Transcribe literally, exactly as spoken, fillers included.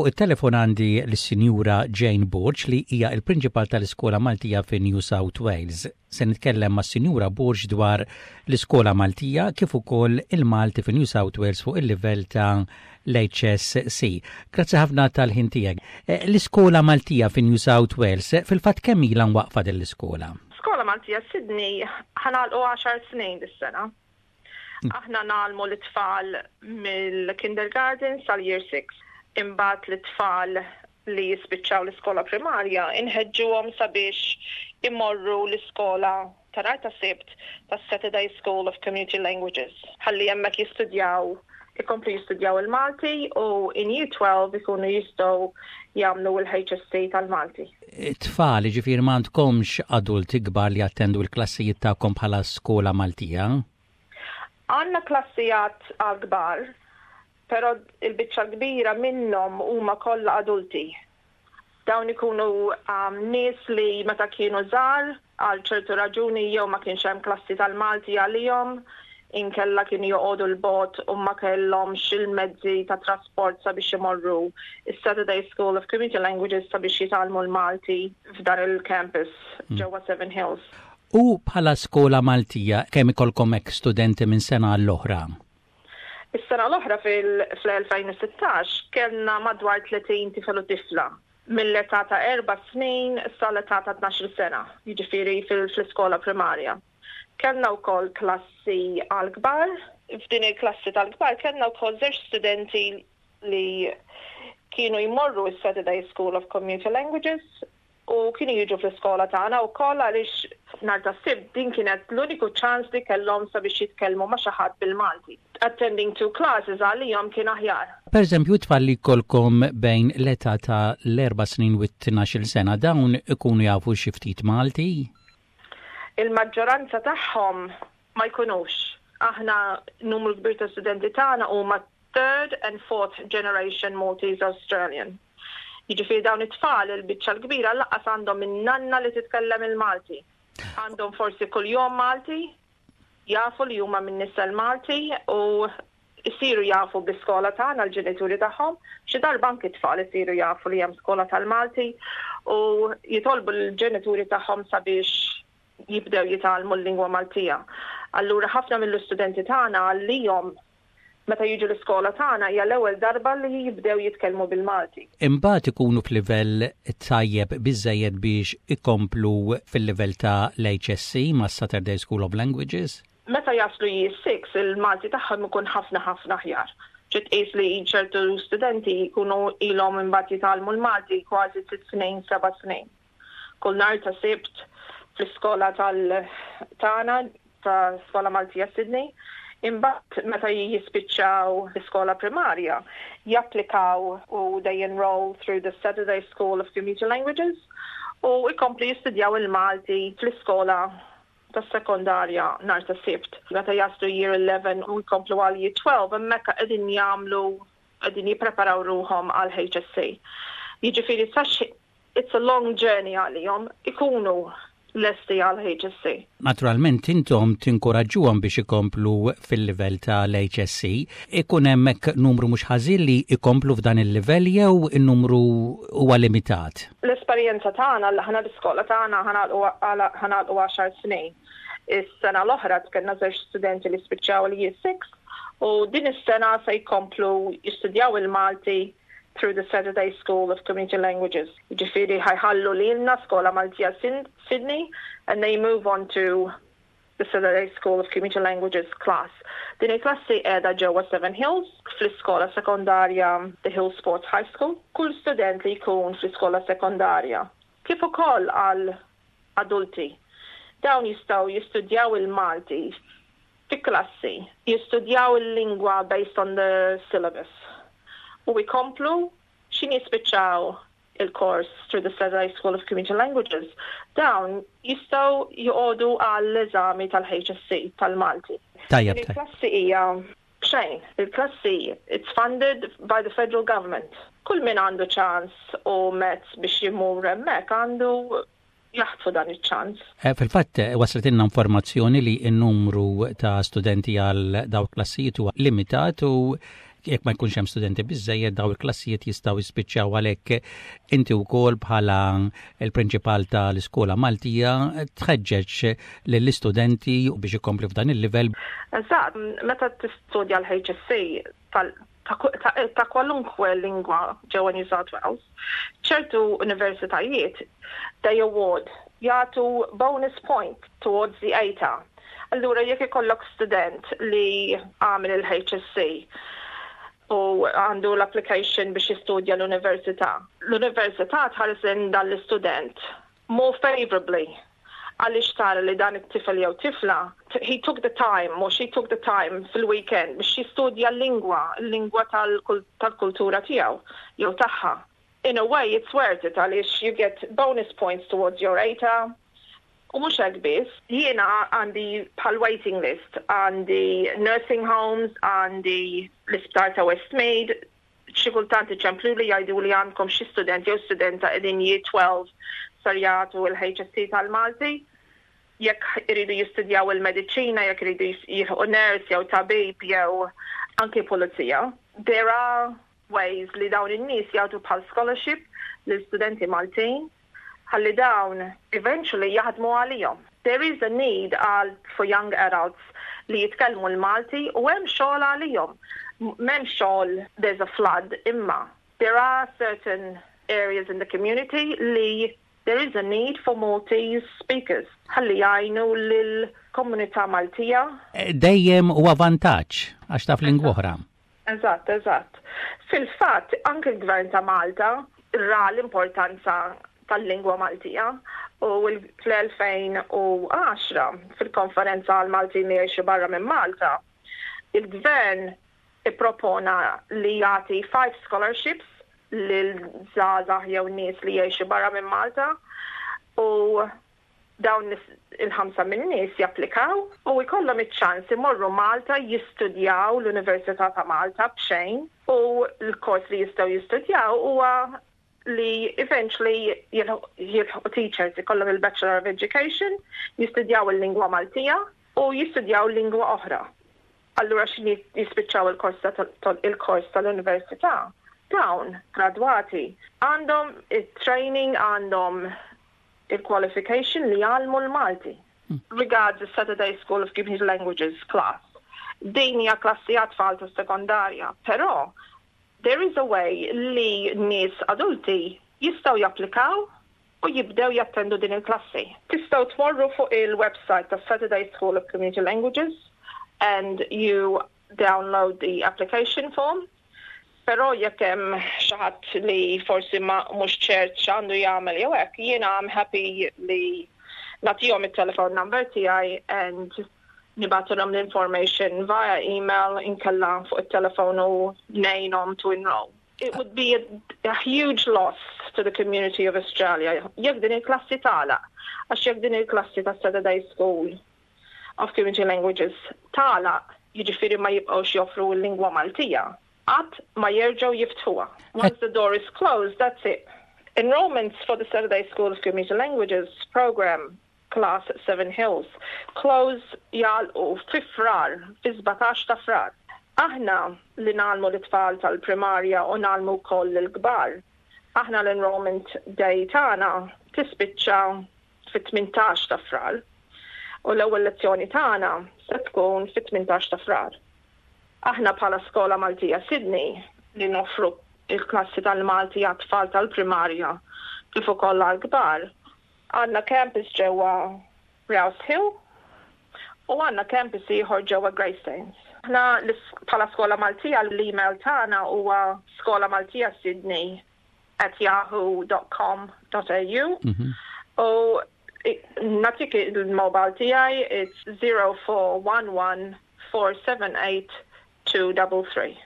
Fuq it-telefon għandi l-Sinjura Jane Borg, li hija il-Prinċipal tal-Iskola Maltija fi New South Wales. Se nitkellem ma' Sinjura Borg dwar l-Iskola Maltija kif ukoll il-Malti fi New South Wales fuq il-livell ta' l-H S C. Grazzi ħafna tal-ħin tiegħek. Eh, l-Iskola Maltija fi New South Wales, fil-fatt kemm ilha waqfa din l-iskola? Skola Maltija Sydney ħa nagħlqu għaxar snin dis-sena. Aħna ngħallmu l-tfal mill-kindergarten sal-year six. Imbagħad l-tfal li jispiċċaw l-iskola primarja inħeġġuhom sabiex imorru l-iskola ta' nhar ta' Sibt ta' Saturday School of Community Languages. Ħalli hemmhekk jistudjaw ikomplu jistudjaw il-Malti u in year twelve ikunu jistgħu jagħmlu l-H S C tal-Malti. Tfal, ġifieri m'għandkomx adulti kbar li jattendu l-klassijiet tagħkom bħala skola Maltija? Għandna klassijiet għal-kbar, pero il-biċċa kbira minnhom huma kollha adulti. Dawn ikunu um, nies li meta kienu żgħar, għal ċertu raġuni, jew ma kienx hemm klassi tal-Malti għalihom, inkella kienu joqogħdu 'l bogħod u ma kellhomx il-mezzi ta' trasport sabiex imorru is-Saturday School of Community Languages sabiex jitgħallmu l-Malti f'dan il-campus mm. ġewwa Seven Hills. U bħala skola Maltija, kemm ikolkom hekk studenti minn sena għall-oħra? Is-sena l-oħra, fil-elfejn u sittax, kellna madwar tletin tifel u tifla mill-età ta' erba' snin sal-età ta' tnax-il sena, jiġifieri fil-iskola primarja. Kellna wkoll klassi għal-kbar. F'din il-klassi tal-kbar kellna wkoll żewġ studenti li kienu jmorru s-Saturday School of Community Languages u kienu jiġu fl-iskola tagħna wkoll, għaliex nhar ta' Sibt din kienet l-uniku ċans li kellhom sabiex jitkellmu ma' xi ħadd bil-Malti. Attending two classes għalihom kien aħjar. Per eżempju, tfal li jkollkom bejn l-età ta' l-erba' snin u t-tnax-il sena, dawn ikunu jafu xi ftit Malti? Il-maġġoranza tagħhom ma jkunux. Aħna numru kbir ta' studenti tagħna huma third and fourth generation Maltese Australian. Jiġifieri dawn it-tfal il-biċċa l-kbira lanqas għandhom in-nanna li titkellem il-Malti. Għandhom forsi kuljum Malti, jafu li huma minn nisel Malti u jisiru jafu bl-iskola tagħna l-ġenituri tagħhom. Xi darba anki tfal isiru jafu li hemm skola tal-Malti u jitolbu l-ġenituri tagħhom sabiex jibdew jitgħallmu l-lingwa Maltija. Allura ħafna mill-istudenti tagħna, għalihom meta jiġu l-iskola tagħna hija l-ewwel darba li jibdew jitkellmu bil-Malti. Imbagħad ikunu f'livell tajjeb biżejjed biex ikomplu fil-livell ta' l-H S C ma' Saturday School of Languages? Meta jaslu year six, il-Malti tagħhom ikun ħafna ħafna aħjar. Ġiet qis li ċertu studenti jkunu ilhom imbagħad jitgħallmu l-Malti kważi sitt snin, seba' snin. Kull nhar ta' Sibt fl-iskola tal-tagħna ta' Skola Maltija Sydney. Imbagħad meta jispiċċaw l-iskola primarja, japplikaw u they enroll through the Saturday School of Community Languages u jkomplu jistudjaw il-Malti fl-iskola tas-sekondarja nhar ta' Sibt. Meta jaslu year eleven u jkomplu għal year twelve, hemmhekk qegħdin jagħmlu qegħdin jippreparaw ruhom għal H S C. Jiġifieri sax it's a long journey għalihom ikunu lesti għal H S C. Naturalment intom tinkoraġġuhom biex ikomplu fil-livell tal-H S C. Ikun hemmhekk numru mhux ħażin li ikomplu f'dan il-livell jew in-numru huwa limitat? L-esperjenza tagħna li aħna l-iskola tagħna ħa nagħlqu għaxar snin. Is-sena l-oħra kellna żewġ studenti li spiċċaw l-year six u din is-sena se jkomplu jistudjaw il-Malti through the Saturday School of Community Languages. Ġifieri ħa jħallu lilna Skola Maltija Sydney and they move on to the Saturday School of Community Languages class. Din il-klassi qiegħda ġewwa Seven Hills fl-iskola sekondarja The Hill Sports High School. Kull student li jkun fl-iskola sekondarja, kif ukoll għal adulti, dawn jistgħu jistudjaw il-Malti fi klassi, jistudjaw il-lingwa based on the syllabus u jkomplu x'ħin jispiċċaw il-course through the Saturday School of Community Languages, dawn jistgħu joqogħdu għall-eżami tal-H S C tal-Malti. Tajjeb. Il-klassi hija b'xejn. Il-klassi, it's funded by the federal government. Kull min għandu ċans u mezz biex jimur hemmhekk għandu jaħtfu dan iċ-ċans. Eh, fil-fatt, eh, wasletilna informazzjoni li n-numru ta' studenti għal dawk klassijiet huwa limitat u Jekk ma jkunx hemm studenti biżejjed, daw il-klassijiet jistgħu jispiċċaw. Għalhekk inti wkoll bħala il-prinċipal tal-iskola Maltija tħeġġeġ lill-istudenti biex ikompli f'dan il-livell. Eżatt, meta tistudja l-H S C ta' kwalunkwe lingwa ġewwa New South Wales, ċertu universitajiet they award, jagħtu bonus point towards the A T A. Allura jekk ikollok student li għamel il-H S C u għandu l-application biex jistudja l-università, l-università tħares dan l-istudent more favorably għaliex tara li dan it-tifel jew tifla, he took the time, or she took the time fil-weekend biex jistudja l-lingwa, l-lingwa tal-kultura tiegħu jew tagħha. In a way, it's worth it għaliex you get bonus points towards your A T A. U mhux hekk biss, jiena għandi bħal waiting list, għandi nursing homes, għandi l-isptar ta' Westmead, xi kultant iċemplu li jgħidu li għandkom xi student jew studenta qegħdin year twelve ser jagħtu l-H S C tal-Malti, jekk iridu jistudjaw il-mediċina, jekk iridu jilħqu nurse jew tabib jew anke pulizija. There are ways li dawn in-nies jagħtu bħal scholarship lil studenti Maltin ħalli dawn eventually jaħdmu għalihom. There is a need għal for young adults li jitkellmu l-Malti u hemm xogħol għalihom. M'hemm xogħol, there's a flood, imma there are certain areas in the community li there is a need for Maltese speakers ħalli jgħinu lill-komunità Maltija. Eh, dejjem huwa vantaġġ għax taf lingwa oħra. Eżatt, eżatt. Fil-fatt, anke l-Gvern ta' Malta ra l-importanza tal-lingwa Maltija u fl-elfejn u għaxra fil-konferenza għal Maltin li jgħixu barra minn Malta, il-gvern ippropona li jagħti five scholarships lil żgħażagħ jew nies li jgħixu barra minn Malta u dawn il-ħamsa minn nies japplikaw u jkollhom iċ-ċans imorru Malta jistudjaw l-Università ta' Malta b'xejn u l-kors li jistgħu jistudjaw huwa li eventually jilħqu teachers, ikollhom il-Bachelor of Education, jistudjaw il-lingwa Maltija u jistudjaw lingwa oħra. Allura x'ħin jispiċċaw il-kors tal-università, dawn gradwati għandhom il-training, għandhom il-qualification li jgħallmu l-Malti. Hmm. Regards the Saturday School of Community Languages class. Din hija klassi għat-tfal ta' sekondarja, però there is a way li nies adulti jistgħu japplikaw u jibdew jattendu din il-klassi. Tistgħu tmorru fuq il-website ta' Saturday School of Community Languages and you download the application form. Però jekk hemm xi ħadd li forsi ma mhux ċert x'għandu jagħmel jew hekk, jiena I'm happy li nagħtihom it-telephone number tiegħi and nibgħatulhom l-information via email inkella fuq it-telefon u ngħinhom to enroll. It would be a, a huge loss to the community of Australia jekk din il-klassi tagħlaq, għax jekk din il-klassi ta' Saturday School of Community Languages tagħlaq, jiġifieri ma jibqgħux joffru l-lingwa Maltija, qatt ma jerġgħu jiftħuha. Once the door is closed, that's it. Enrollments for the Saturday School of Community Languages program class at Seven Hills close, jagħlqu fi Frar, fi sbatax ta' Frar. Aħna li ngħallmu l-tfal tal-primarja u ngħallmu wkoll l-kbar. Aħna l-enrollment day tagħna tispiċċa fit-tmintax ta' Frar. U l-ewwel lezzjoni tagħna se tkun fit-tmintax ta' Frar. Aħna bħala Skola Maltija Sydney li noffru il-klassi tal-Malti għat-tfal tal-primarja kif ukoll għall-kbar, għandna campus ġewwa Rouse Hill u għandna campus ieħor ġewwa Greystanes. Aħna bħala Skola Maltija l-email tagħna huwa skolamaltijasydney at yahoo dot com dot A U mhm. u nagħtik il-mobile tiegħi, it's zero four one one four seven eight two double three.